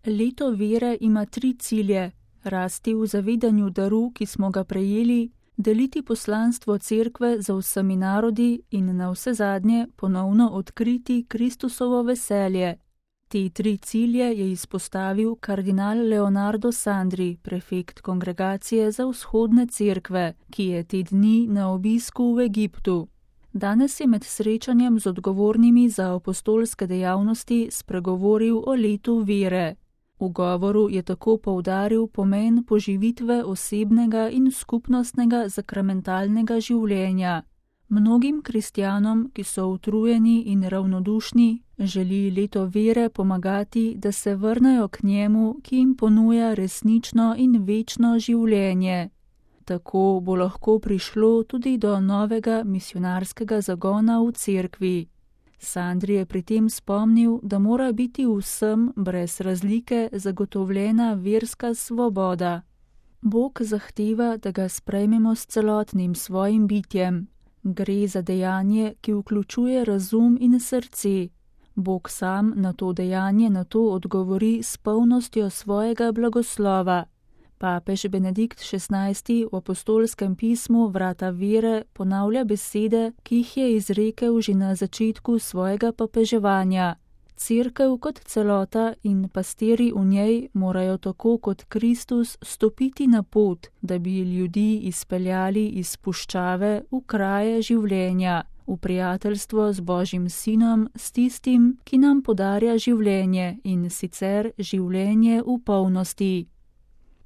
Leto vere ima 3 cilje: rasti v zavedanju daru, ki smo ga prejeli, deliti poslanstvo cerkve za vsemi narodi in navsezadnje ponovno odkriti Kristusovo veselje. Te 3 cilje je izpostavil kardinal Leonardo Sandri, prefekt Kongregacije za vzhodne cerkve, ki je te dni na obisku v Egiptu. Danes je med srečanjem z odgovornimi za apostolske dejavnosti spregovoril o letu vere. V govoru je tako poudaril pomen poživitve osebnega in skupnostnega sakramentalnega življenja. Mnogim kristjanom, ki so utrujeni in ravnodušni, želi leto vere pomagati, da se vrnejo k njemu, ki jim ponuja resnično in večno življenje. Tako bo lahko prišlo tudi do novega misijonarskega zagona v cerkvi. Sandri je pri tem spomnil, da mora biti vsem brez razlike zagotovljena verska svoboda. Bog zahteva, da ga sprejmemo s celotnim svojim bitjem. Gre za dejanje, ki vključuje razum in srce. Bog sam na to dejanje nato odgovori s polnostjo svojega blagoslova. Papež Benedikt XVI v apostolskem pismu Vrata vere ponavlja besede, ki jih je izrekel že na začetku svojega papeževanja. Cerkev kot celota in pastirji v njej morajo tako kot Kristus stopiti na pot, da bi ljudi izpeljali iz puščave v kraje življenja, v prijateljstvo z Božjim Sinom, s tistim, ki nam podarja življenje in sicer življenje v polnosti.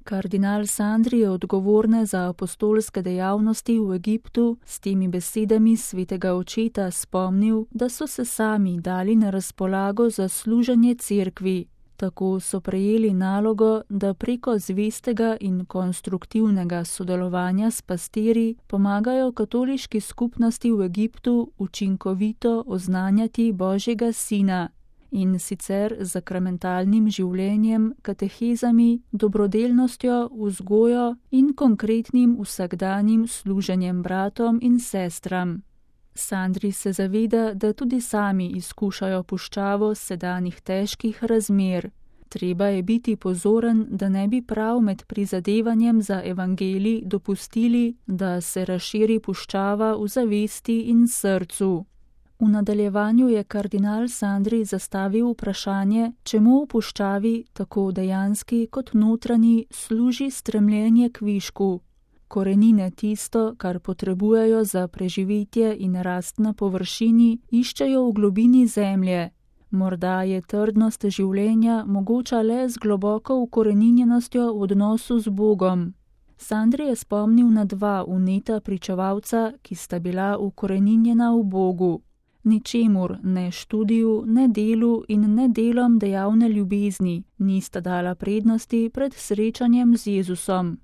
Kardinal Sandri je odgovorne za apostolske dejavnosti v Egiptu s temi besedami svetega očeta spomnil, da so se sami dali na razpolago za služenje cerkvi. Tako so prejeli nalogo, da preko zvestega in konstruktivnega sodelovanja s pastirji pomagajo katoliški skupnosti v Egiptu učinkovito oznanjati Božjega Sina. In sicer z sakramentalnim življenjem, katehezami, dobrodelnostjo, vzgojo in konkretnim vsakdanjim služenjem bratom in sestram. Sandri se zaveda, da tudi sami izkušajo puščavo sedanjih težkih razmer. Treba je biti pozoren, da ne bi prav med prizadevanjem za evangelij dopustili, da se razširi puščava v zavesti in srcu. V nadaljevanju je kardinal Sandri zastavil vprašanje, čemu v puščavi, tako dejanski kot notranji, služi stremljenje k višku. Korenine tisto, kar potrebujejo za preživetje in rast na površini, iščejo v globini zemlje. Morda je trdnost življenja mogoča le z globoko ukoreninjenostjo v odnosu z Bogom. Sandri je spomnil na 2 vneta pričevalca, ki sta bila ukoreninjena v Bogu. Ničemur, ne študiju, ne delu in ne delom dejavne ljubezni, nista dala prednosti pred srečanjem z Jezusom.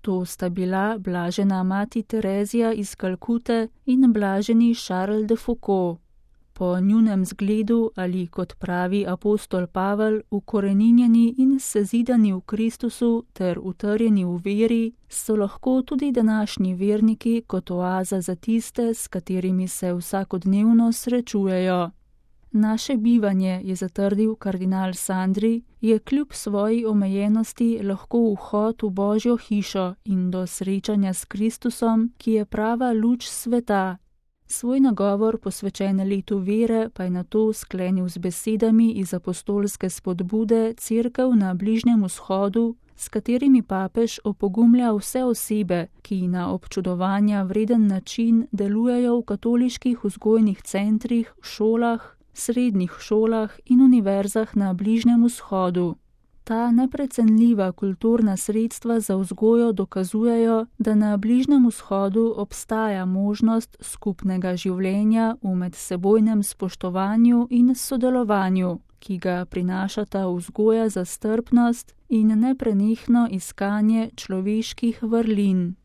To sta bila blažena mati Terezija iz Kalkute in blaženi Charles de Foucault. Po njunem zgledu ali, kot pravi apostol Pavel, ukoreninjeni in sezidani v Kristusu ter utrjeni v veri, so lahko tudi današnji verniki kot oaza za tiste, s katerimi se vsakodnevno srečujejo. Naše bivanje, je zatrdil kardinal Sandri, je kljub svoji omejenosti lahko vhod v Božjo hišo in do srečanja s Kristusom, ki je prava luč sveta. Svoj nagovor posvečen letu vere pa je nato sklenil z besedami iz apostolske spodbude Cerkev na Bližnjem vzhodu, s katerimi papež opogumlja vse osebe, ki na občudovanja vreden način delujejo v katoliških vzgojnih centrih, šolah, srednjih šolah in univerzah na Bližnjem vzhodu. Ta neprecenljiva kulturna sredstva za vzgojo dokazujejo, da na Bližnjem vzhodu obstaja možnost skupnega življenja v medsebojnem spoštovanju in sodelovanju, ki ga prinašata vzgoja za strpnost in neprenehno iskanje človeških vrlin.